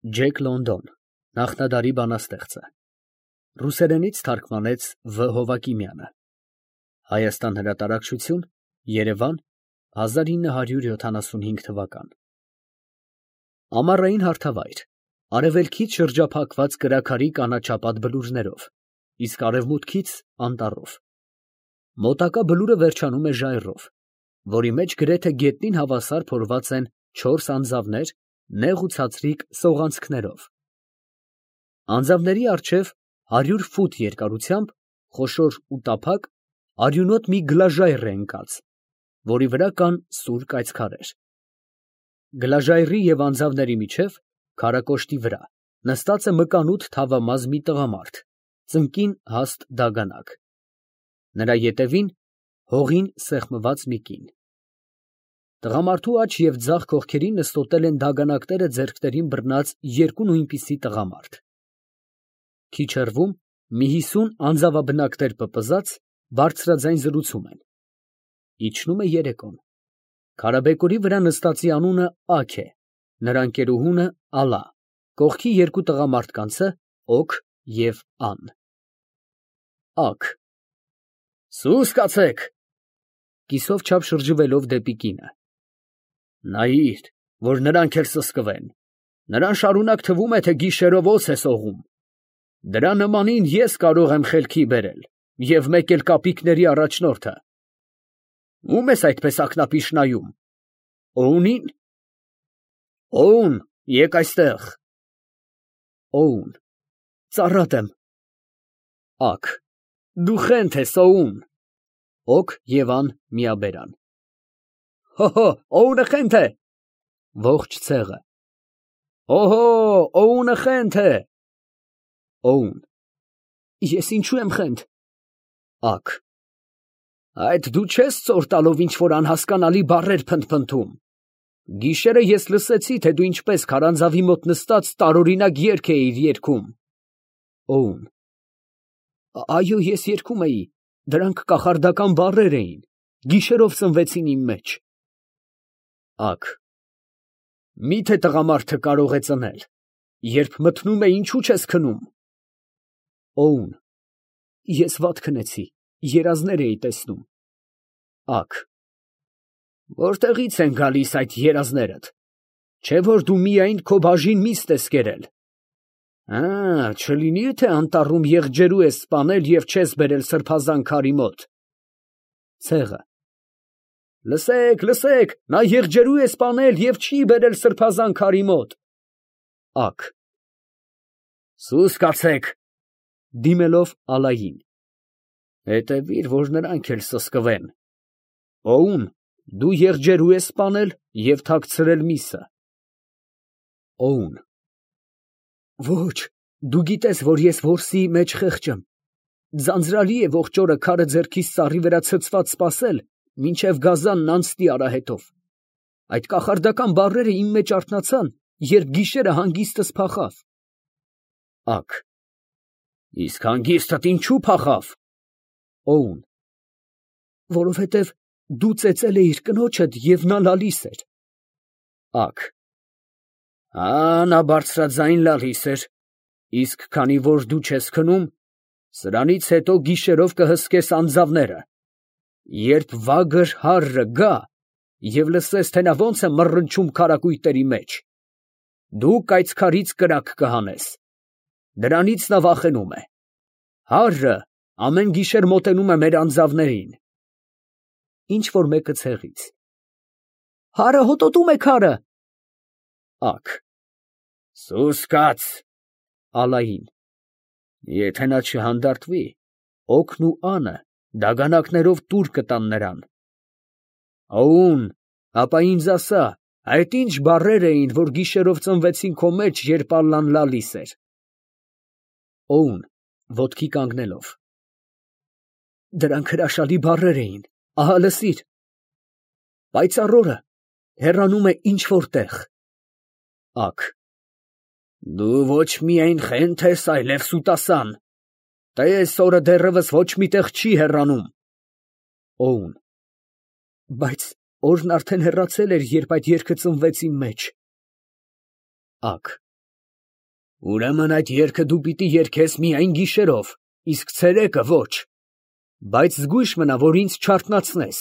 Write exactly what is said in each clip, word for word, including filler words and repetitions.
Ջեք Լոնդոն, նախնադարի բանաստեղծը, ռուսերենից թարգմանեց Վ. Հովակիմյանը, Հայաստան հրատարակչություն, Երևան, հազար ինը հարյուր յոթանասունհինգ թվական։ Ամառային հարթավայր, արևելքից շրջափակված կրաքարի կանաչապատ բլուրներով, իսկ արևմուտքից անտառով։ Մոտակա բլուրը վերջանում է ժայռով, որի մեջ գրեթե գետնին հավասար փորված են չորս անձավներ նեղ ու ցածրիկ սողանցքներով։ Անձավների առջև հարյուր ֆուտ երկարությամբ խոշոր ու տափակ արյունոտ մի գլաժայռ է ընկած, որի վրա կան սուր կայծքարեր։ Գլաժայռի և անձավների միջև, քարակոշտի վրա, նստած է մկանութ թավամազ մի տղամարդ, ծնկին հաստ դագանակ, նրա ետևին հողին սեղմված մի կին։ Տղամարդու աջ և ձախ կողքերին նստոտել են դագանակները ձեռքներին բռնած երկու նույնպիսի տղամարդ։ Քիչ հեռվում մի հիսուն անձավաբնակներ պպզած, բարձրաձայն զրուցում են։ Իջնում է երեկոն։ Քարաբեկորի վրա նստածի անունը Աք է, նրա ընկերուհունը Ալա, կողքի երկու տղամարդկանցը Օք և Ան։ Աք. Սուս կացեք։ Կիսով չափ շրջվելով դեպի կինը։ Նայիր, որ նրանք էլ սսկվեն, նրան շարունակ թվում է, թե գիշերով օձ է սողում։ Դրա նմանին ես կարող եմ խելքի բերել, և մեկ էլ կապիկների առաջնորդը։ Ո՞ւմ ես այդպես ակնապիշ նայում։ Օունի՞ն։ Օուն, եկ այստեղ։ Օուն. Ծառատ եմ։ Աք. Դու խենթ ես, Օուն։ Օք և Ան միաբերան։ Հո՛հո, Օունը խենթ է։ Ողջ ցեղը։ Օհո, Օունը խենթ է։ Օուն. Ես ինչու եմ խենթ։ Աք. Այդ դու չես ծոր տալով ինչ֊որ անհասկանալի բառեր փնթփնթում։ Գիշերը ես լսեցի, թե դու ինչպես քարանձավի մոտ նստած տարօրինակ երգ էիր երգում։ Օուն. Այո, ես երգում էի, դրանք կախարդական բառեր էին, գիշերով ծնվեցին իմ մեջ։ Աք. Մի՞թե տղամարդը կարող է ծնել, երբ մթնում է, ինչու չես քնում։ Օուն. Ես վատ քնեցի, երազներ էի տեսնում։ Աք. Որտեղի՞ց են գալիս այդ երազներդ, չէ՞ որ դու միայն քո բաժին միստ ես կերել։ Ա, չլինի՞ թե անտառում եղջերու ես սպանել և չես բերել սրբազան քարի մոտ։ Ցեղը. Լսեք, լսեք, նա եղջերու է սպանել և չի բերել սրբազան քարի մոտ։ Աք. Սուս կացեք։ Դիմելով Ալային. Հետևիր, որ նրանք էլ սսկվեն։ Օուն, դու եղջերու ես սպանել և թաքցրել միսը։ Օուն. Ոչ, դու գիտես, որ ես որսի մեջ խեղճ եմ։ Ձանձրալի է ողջ օրը քարը ձեռքիս ծառի վրա ցցված սպասել, մինչև գազանն անցնի արահետով։ Այդ կախարդական բառերը իմ մեջ արթնացան, երբ գիշերը հանգիստս փախավ։ Աք. Իսկ հանգիստդ ինչու փախավ։ Օուն. Որովհետև դու ծեծել էիր կնոջդ և նա լալիս էր։ Աք. Ա, նա բարձրաձայն լալիս էր, իսկ քանի որ դու չես քնում, սրանից հետո գիշերով կհսկես անձավները, երբ վագր հառը գա և լսես, թե նա ոնց է մռնչում քարակույտերի մեջ, դու կայծքարից կրակ կհանես, դրանից նա վախենում է, հառը ամեն գիշեր մոտենում է մեր անձավներին։ Ինչ֊որ մեկը ցեղից. Հառը հոտոտում է քարը։ Աք. Սուս կաց։ Ալային. Եթե նա չհանդարտվի, Օքն ու Անը դագանակներով տուր կտան նրան։ Օուն, ապա ինձ ասա, այդ ինչ բառեր էին, որ գիշերով ծնվեցին քո մեջ, երբ Ալլան լալիս էր։ Օուն, ոտքի կանգնելով. Դրանք հրաշալի բառեր էին, ահա լսիր։ Պայծառ օրը հեռանում է ինչ֊որ տեղ։ Աք. Դու ոչ միայն խենթ ես, այլև սուտասան։ Տես, օրը դեռևս ոչ մի տեղ չի հեռանում։ Օուն. Բայց օրն արդեն հեռացել էր, երբ այդ երգը ծնվեց իմ մեջ։ Աք. Ուրեմն այդ երգը դու պիտի երգես միայն գիշերով, իսկ ցերեկը ոչ, բայց զգույշ մնա, որ ինձ չարթնացնես,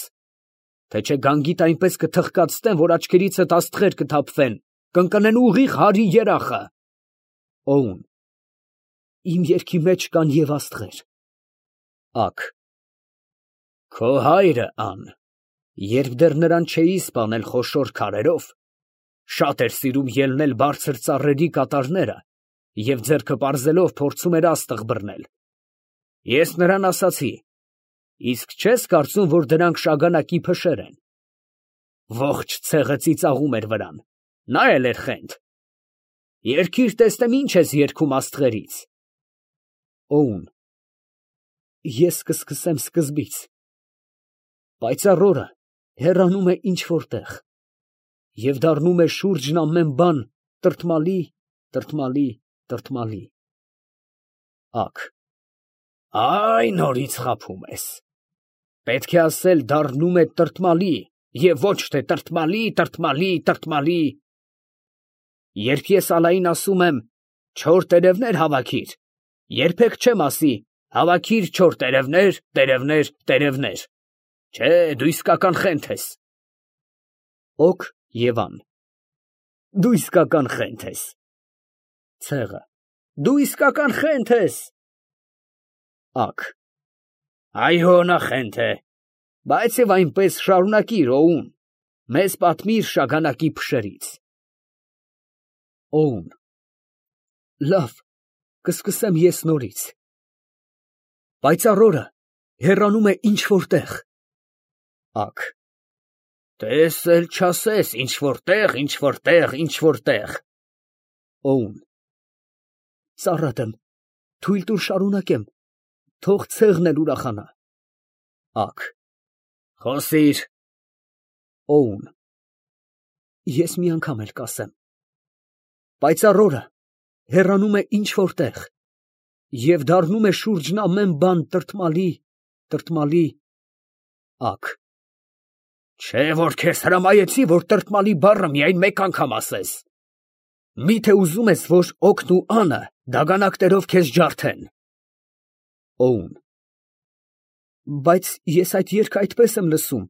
թե չէ գանգիդ այնպես կթխկացնեմ, որ աչքերիցդ աստղեր կթափվեն, կընկնեն ուղիղ հարի երախը։ Օուն. Իմ երգի մեջ կան և աստղեր։ Ակ. Քո հայրը, Ան, երբ դեռ նրան չէի սպանել խոշոր քարերով, շատ էր սիրում ելնել բարձր ծառերի կատարները և ձեռքը պարզելով փորձում էր աստղ բռնել։ Ես նրան ասացի. իսկ չես կարծում, որ դրանք շագանակի փշեր են։ Ողջ ցեղը ծիծաղում էր վրան, նա էլ էր խենթ։ Երգիր տեսնեմ ինչ ես երգում աստղերից։ Օուն. Ես կսկսեմ սկզբից։ Պայծառ օրը հեռանում է ինչ-որ տեղ և դառնում է շուրջն ամեն բան տրտմալի, տրտմալի, տրտմալի։ Ակ. Այ նորից խաբում ես։ Պետք է ասել դառնում է տրտմալի և ոչ թե տրտմալի, տրտմալի, տրտմալի։ Երբ ես ալային ասում եմ չոր տերևներ հավաքիր, երբեք չեմ ասի հավաքիր չոր տերևներ, տերևներ, տերևներ։ Չէ, դու իսկական խենթ ես։ Օք և Ան. Դու իսկական խենթ ես։ Ցեղը. Դու իսկական խենթ ես։ Ակ. Այո, նա խենթ է, բայց և այնպես շարունակիր, Օուն, մեզ պատմիր շագանակի փշերից։ Օուն. Լավ, կսկսեմ ես նորից։ Պայծառ օրը հեռանում է ինչ-որ տեղ։ Ակ. Տես էլ չասես ինչ-որ տեղ, ինչ-որ տեղ, ինչ-որ տեղ։ Օուն. Ծառատ եմ, թույլ տուր շարունակեմ, թող ցեղն էլ ուրախանա։ Ակ. Խոսիր։ Օուն. Ես մի անգամ էլ կասեմ։ Պայծառ օրը հեռանում է ինչ-որ տեղ և դառնում է շուրջն ամեն բան տրտմալի, տրտմալի։ Ակ. Չէ, որ քեզ հրամայեցի, որ տրտմալի բառը միայն մեկ անգամ ասես։ Մի՞թե ուզում ես, որ Օքն ու Անը դագանակներով քեզ ջարդեն։ Օուն. Բայց ես այդ երգը այդպես եմ լսում,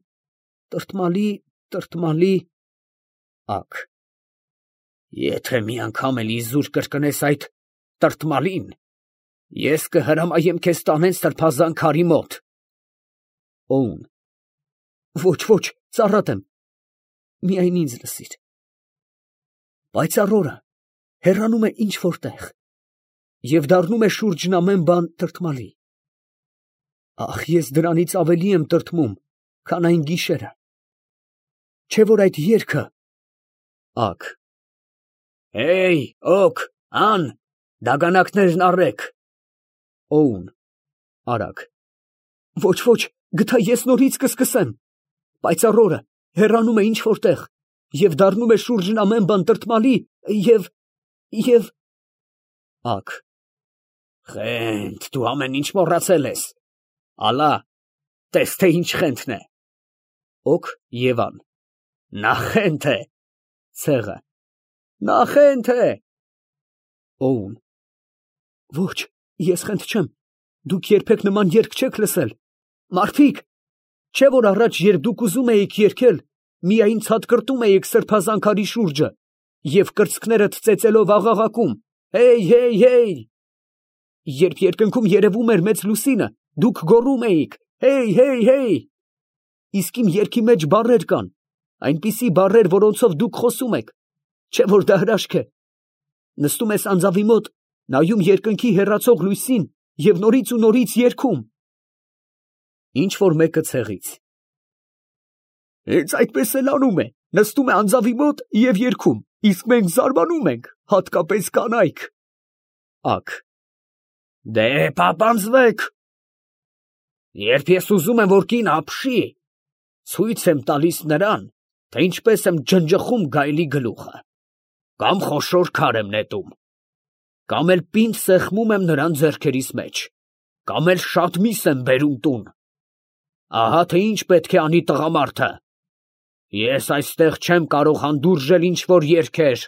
տրտմալի, տրտմալի։ Ակ. Եթե մի անգամ էլ իզուր կրկնես այդ տրտմալին, ես կհրամայեմ քեզ տանեն սրբազան քարի մոտ։ Օուն. Ոչ, ոչ, ծառատ եմ, միայն ինձ լսիր։ Պայծառ օրը հեռանում է ինչ-որ տեղ և դառնում է շուրջն ամեն բան տրտմալի։ Ախ, ես դրանից ավելի եմ տրտմում, քան այն գիշերը։ Չէ՞ որ այդ երգը… Ակ. Հեյ, Օք, Ան, դագանակներն առեք։ Օուն. Արագ. Ոչ, ոչ, գթա ես նորից կսկսեմ։ Պայծառ օրը հեռանում է ինչ-որ տեղ և դառնում է շուրջն ամեն բան տրտմալի և… և… Ակ. Խենթ, դու ամեն ինչ մոռացել ես։ Ալա, տես թե ինչ խենթն է։ Օք և Ան. Նա խենթ է։ Ցեղը. Նա խենթ է։ Օուն. Ոչ, ես խենթ չեմ, դուք երբեք նման երգ չեք լսել։ Մարդիկ, չէ՞ որ առաջ, երբ դուք ուզում էիք երգել, միայն ցատկրտում էիք սրբազան քարի շուրջը և կրծքներդ ծեծելով աղաղակում. հեյ, հեյ, հեյ։ Երբ երկնքում երևում էր մեծ լուսինը, դուք գոռում էիք. հեյ, հեյ, հեյ։ Իսկ իմ երգի մեջ բառեր կան, այնպիսի բառեր, որոնցով դուք խոսում եք, չէ՞ որ դա հրաշք է։ Նստում ես անձավի մոտ, նայում երկնքի հեռացող լույսին և նորից ու նորից երգում։ Ինչ որ մեկը ցեղից. Հենց այդպես էլ անում է, նստում է անձավի մոտ և երգում, իսկ մենք զարմանում ենք, հատկապես կանայք։ Ակ. Դե պապանձվեք։ Երբ ես ուզում եմ, որ կին ապշի, ցույց եմ տալիս նրան, թե ինչպես եմ ջնջխում գայլի գլուխը, կամ խոշոր քար եմ նետում, կամ էլ պինդ սեղմում եմ նրան ձեռքերիս մեջ, կամ էլ շատ միս եմ բերում տուն։ Ահա թե ինչ պետք է անի տղամարդը։ Ես այստեղ չեմ կարող հանդուրժել ինչ որ երգեր։